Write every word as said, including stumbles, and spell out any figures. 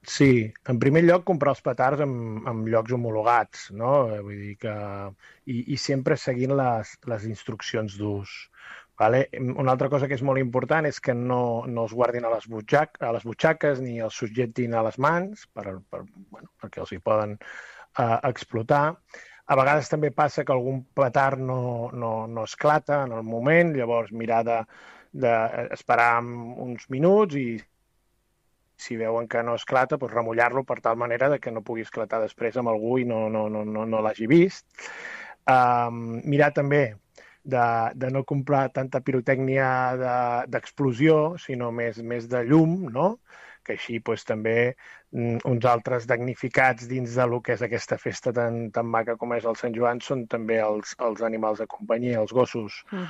Sí, en primer lloc comprar els petards en, en llocs homologats, no? Vull dir que... I, i sempre seguint les, les instruccions d'ús. Vale? Una altra cosa que és molt important és que no, no els guardin a les, butxac, a les butxaques ni els subjectin a les mans per, per, bueno, perquè els hi poden uh, explotar. A vegades també passa que algun petard no, no, no esclata en el moment, llavors mirar de, de esperar uns minuts i si veuen que no esclata, doncs remullar-lo per tal manera de que no pugui esclatar després amb algú i no, no, no, no, no l'hagi vist. Um, mirar també de, de no comprar tanta pirotècnia d'explosió, de, sinó més, més de llum, no? Que així doncs, també mm, uns altres damnificats dins de lo que és aquesta festa tan, tan maca com és el Sant Joan són també els, els animals de companyia, els gossos. Mm.